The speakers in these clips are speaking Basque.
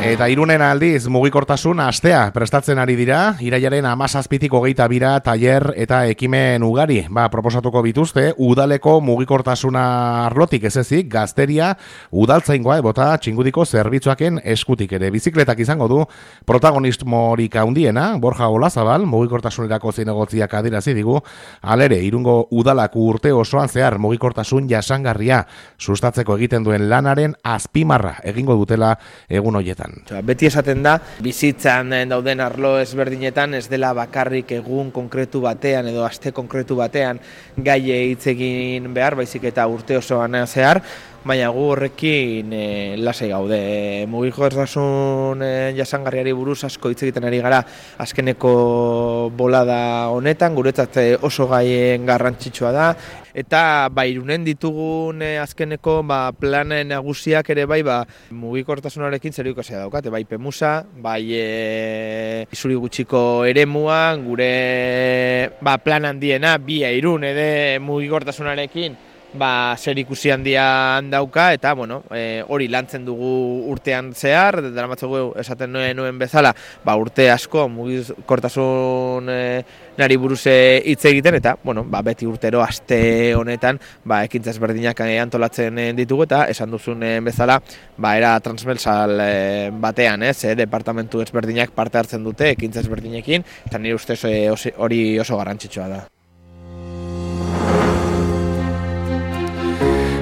Eta Irunen aldiz mugikortasun astea prestatzen ari dira, irailaren 17tik 22 tailer eta ekimen ugari. Proposatuko bituzte, udaleko mugikortasuna arlotik ez ezik, gazteria, udaltzaingoa ebota txingudiko zerbitzuaken eskutik ere. Bizikletak izango du protagonismorik handiena, Borja Olazabal, mugikortasunerako zinegotziak adirazi digu, alere, Irungo udalako urte osoan zehar mugikortasun jasangarria sustatzeko egiten duen lanaren azpimarra egingo dutela egun hoietan. Beti esaten da, bizitzan dauden arlo ezberdinetan ez dela bakarrik egun konkretu batean edo aste konkretu batean gai hitz egin behar, baizik eta urte osoan zehar, baina gu horrekin lasai gaude. Mugikortasun jasangarriari buruz asko hitz egiten ari gara azkeneko bolada honetan, guretzat oso gaien garrantzitsua da, eta Irunen ditugun azkeneko plan nagusiak ere mugikortasunarekin zerikusia daukate, bai Pemusa, bai Isuri gutxiko eremuan, gure plan handiena, bi Irun ere mugikortasunarekin zer ikusi handian dauka, eta hori lantzen dugu urtean zehar, daramatzagu esaten nuen bezala, urte asko mugikortasun nari buruz hitz egiten, eta beti urtero aste honetan ekintza ezberdinak antolatzen ditugu, eta esan duzun bezala era transversal batean, departamentu ezberdinak parte hartzen dute ekintza ezberdinekin, eta nire ustez hori oso garrantzitsua da.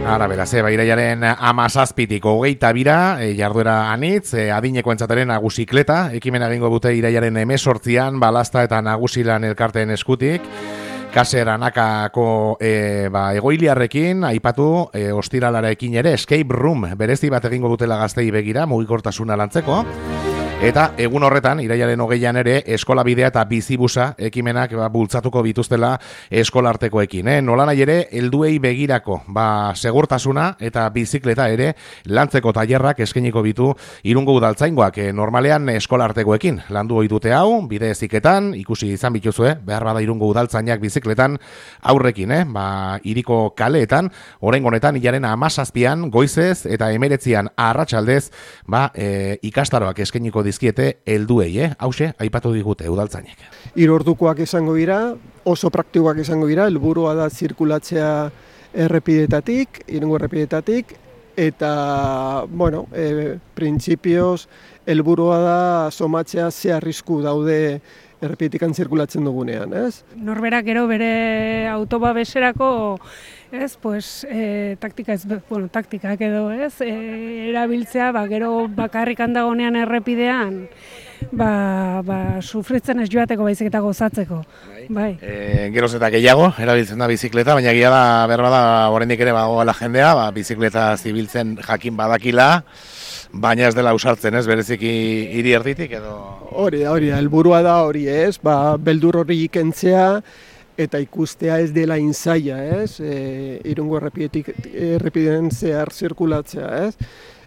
Ara, beraz, irailaren 17tik 22 jarduera anitz, adineko entzateren nagusikleta, ekimen egingo dute irailaren 18an, balazta eta nagusilan elkarteen eskutik, Kaser Anakako egoiliarrekin, aipatu ostiralarekin ere, escape room, berezi bat egingo dutela gaztei begira, mugikortasuna lantzeko, eta egun horretan, irailaren 20an ere, eskola bidea eta bizibusa ekimenak bultzatuko bituztela eskolartekoekin. Nola nahi ere, helduei begirako, segurtasuna eta bizikleta ere lantzeko tailerrak eskainiko bitu Irungo udaltzaingoak normalean eskolartekoekin. Landu ohi dute hau, bide heziketan, ikusi izan bituzue, behar bada Irungo udaltzainak bizikletan aurrekin, hiriko kaleetan, oraingo honetan hilaren 17an goizez eta 19an arratsaldez, ikastaroak eskainiko dizkiete helduei, hauxe aipatu digute udaltzainek. 3 ordukoak izango dira, oso praktikoak izango dira, helburua da zirkulatzea errepidetatik, Irungo errepidetatik, eta, printzipioz, helburua da somatzea ze arrisku daude errepidetikan zirkulatzen dugunean, ez? Norberak gero bere autobabeserako, taktikak edo, erabiltzea, gero bakarrik handagonean errepidean, sufritzen ez joateko baizik eta gozatzeko. Bai. Geroz eta gehiago, erabiltzen da bizikleta, baina gira da, berbada, oraindik ere bagoela jendea, bizikleta zibiltzen jakin badakila, baina ez dela usartzen, bereziki hiri erditik edo... Hori da, helburua da hori, beldur hori ikentzea, eta ikustea ez dela inzaia, Irungo errepideen zehar zirkulatzea,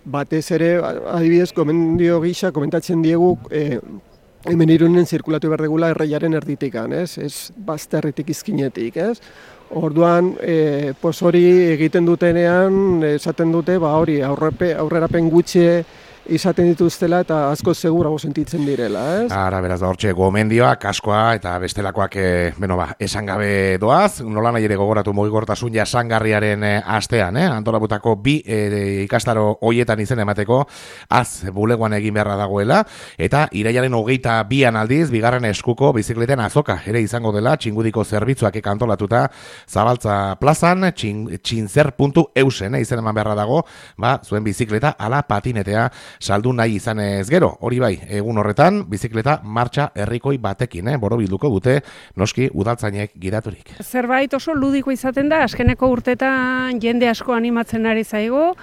Batez ere, adibidez, gomendio gisa, komentatzen diegu, hemen Irunen zirkulatu behar degula erreiaren erditikan, ez bazterritik izkinetik, Orduan, hori egiten dutenean, esaten dute, hori aurrerapen gutxi izaten dituztela eta asko segurago sentitzen direla, Ara, beraz da hortxe gomendioa, kaskoa eta bestelakoak, esan gabe doaz, nola nahi ere gogoratu mugikortasun jasangarriaren astean, antolabutako 2 ikastaro hoietan izen emateko, bulegoan egin beharra dagoela, eta irailaren 22an aldiz, bigarren eskuko bizikleten azoka, ere izango dela, txingudiko zerbitzuak antolatuta, Zabaltza plazan, txintzer.eusen, izen eman beharra dago, zuen bizikleta ala patinetea saldu nahi izan ez gero, hori bai, egun horretan, bizikleta martxa herrikoi batekin, borobilduko dute, noski udaltzainek gidaturik. Zerbait oso ludiko izaten da, azkeneko urtetan jende asko animatzen ari zaigu,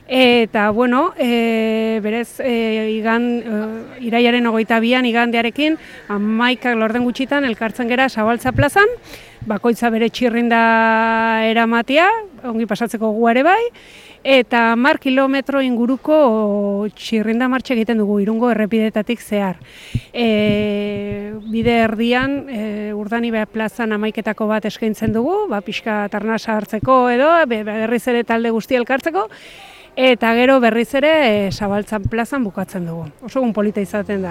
eta, berez, irailaren 22an igandearekin, 11 laurden gutxitan elkartzen gera Zabaltza plazan, bakoitza bere txirrinda eramatia, ongi pasatzeko gu ere bai, eta 10 kilometro inguruko txirrinda martxa egiten dugu Irungo errepidetatik zehar. Bide erdian, Urdanibe plazan 11etako bat eskaintzen dugu, pixka tarnasa hartzeko edo, berriz ere talde guztia elkartzeko, eta gero berriz ere Zabaltzan plazan bukatzen dugu. Oso egun polita izaten da.